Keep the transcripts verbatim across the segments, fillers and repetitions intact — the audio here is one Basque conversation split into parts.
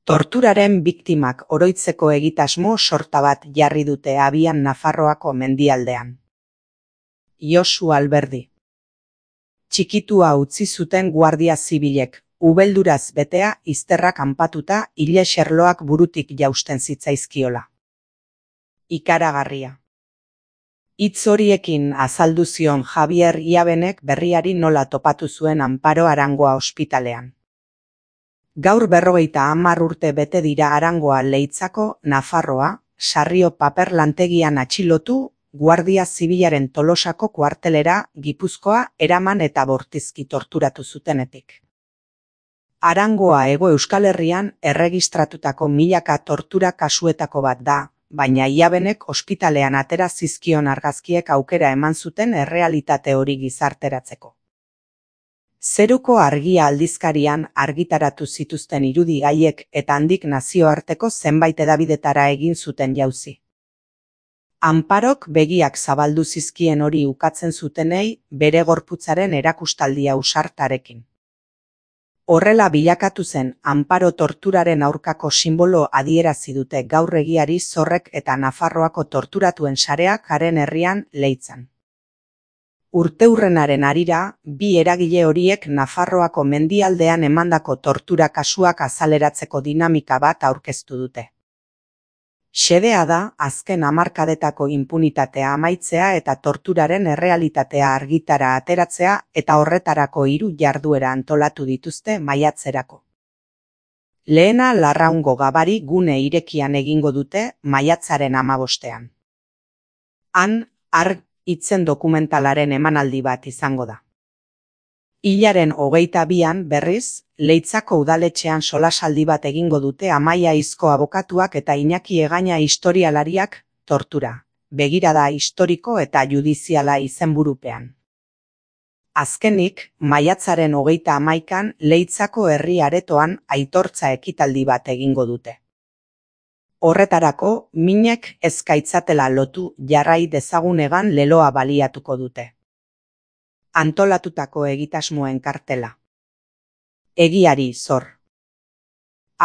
Torturaren biktimak oroitzeko egitasmo sorta bat jarri dute abian Nafarroako mendialdean. Josu Alberdi. Txikitua utzi zuten guardia zibilek, ubelduraz betea izterra kanpatuta ile xerloak burutik jausten zitzaizkiola. Ikaragarria. Hitz horiekin azaldu zion Javier Iabenek berriari nola topatu zuen Anparo Arangoa ospitalean. Gaur berrogeita hamar urte bete dira Arangoa Leitzako, Nafarroa, Sarrio paper lantegian atxilotu, Guardia Zibilaren Tolosako kuartelera, Gipuzkoa, eraman eta bortizki torturatu zutenetik. Arangoa Hego Euskal Herrian erregistratutako milaka tortura kasuetako bat da, baina Iabenek ospitalean atera zizkion argazkiek aukera eman zuten errealitate hori gizarteratzeko. Zeruko Argia aldizkarian argitaratu zituzten irudi gaiek eta handik nazioarteko zenbait hedabidetara egin zuten jauzi. Anparok begiak zabaldu zizkien hori ukatzen zutenei bere gorputzaren erakustaldia ausartarekin. Horrela bilakatu zen Anparo torturaren aurkako sinbolo adierazi dute gaur egiari Zorrek eta Nafarroako torturatuen sareak haren herrian Leitzan. Urteurrenaren harira, bi eragile horiek Nafarroako mendialdean emandako tortura kasuak azaleratzeko dinamika bat aurkeztu dute. Xedea da azken hamarkadetako inpunitatea amaitzea eta torturaren errealitatea argitara ateratzea eta horretarako hiru jarduera antolatu dituzte maiatzerako. Lehena Larraungo Gabari gune irekian egingo dute maiatzaren hamabostean. Han, arg hitzen dokumentalaren emanaldi bat izango da. Hilaren hogeita bian berriz, Leitzako udaletxean solasaldi bat egingo dute Amaia Izko abokatuak eta Iñaki Egaña historialariak tortura, begirada historiko eta judiziala izenburupean. Azkenik, maiatzaren hogeita hamaikan Leitzako herri aretoan aitortza ekitaldi bat egingo dute. Horretarako, minek ezkaitzatela lotu jarrai dezagunegan leloa baliatuko dute. Antolatutako egitasmoen kartela. Egiari zor.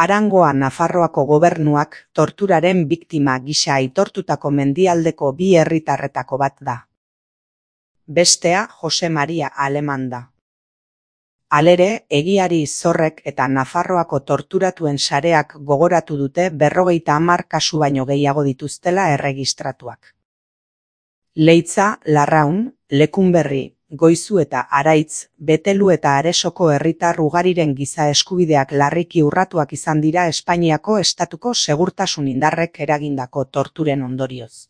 Arangoa Nafarroako gobernuak torturaren biktima gisa aitortutako mendialdeko bi herritarretako bat da. Bestea Jose Maria Aleman da. Halere, Egiari Zorrek eta Nafarroako torturatuen sareak gogoratu dute berrogeita hamar kasu baino gehiago dituztela erregistratuak. Leitza, Larraun, Lekunberri, Goizu eta Araitz, Betelu eta Aresoko herritar ugariren giza eskubideak larriki urratuak izan dira Espainiako estatuko segurtasun indarrek eragindako torturen ondorioz.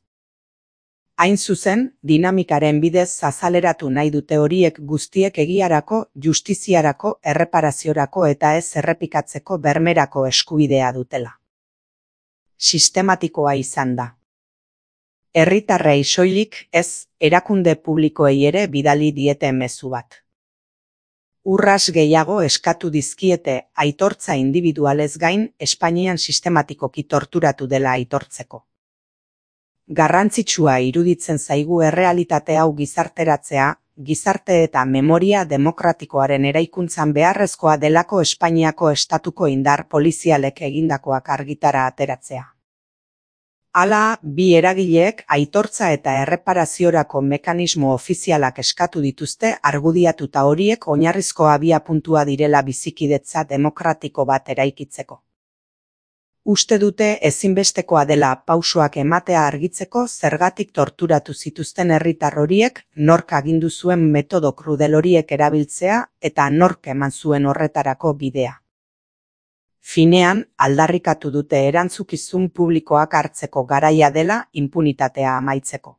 Hain zuzen, dinamikaren bidez azaleratu nahi dute horiek guztiek egiarako, justiziarako, erreparaziorako eta ez errepikatzeko bermerako eskubidea dutela. Sistematikoa izan da. Herritarrei soilik ez, erakunde publikoei ere bidali diete mezu bat. Urras gehiago eskatu dizkiete aitortza indibidualez gain Espainian sistematikoki torturatu dela aitortzeko. Garrantzitsua iruditzen zaigu errealitate hau gizarteratzea, gizarte eta memoria demokratikoaren eraikuntzan beharrezkoa delako Espainiako estatuko indar polizialek egindakoak argitara ateratzea. Hala, bi eragileek aitortza eta erreparaziorako mekanismo ofizialak eskatu dituzte argudiatuta horiek oinarrizko abiapuntua direla bizikidetza demokratiko bat eraikitzeko. Uste dute ezinbestekoa dela pausoak ematea argitzeko zergatik torturatu zituzten herritar horiek, nork agindu zuen metodo krudel horiek erabiltzea eta nork eman zuen horretarako bidea. Finean, aldarrikatu dute erantzukizun publikoak hartzeko garaia dela inpunitatea amaitzeko.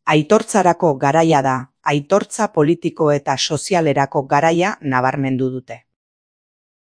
Aitortzarako garaia da, aitortza politiko eta sozialerako garaia nabarmendu dute.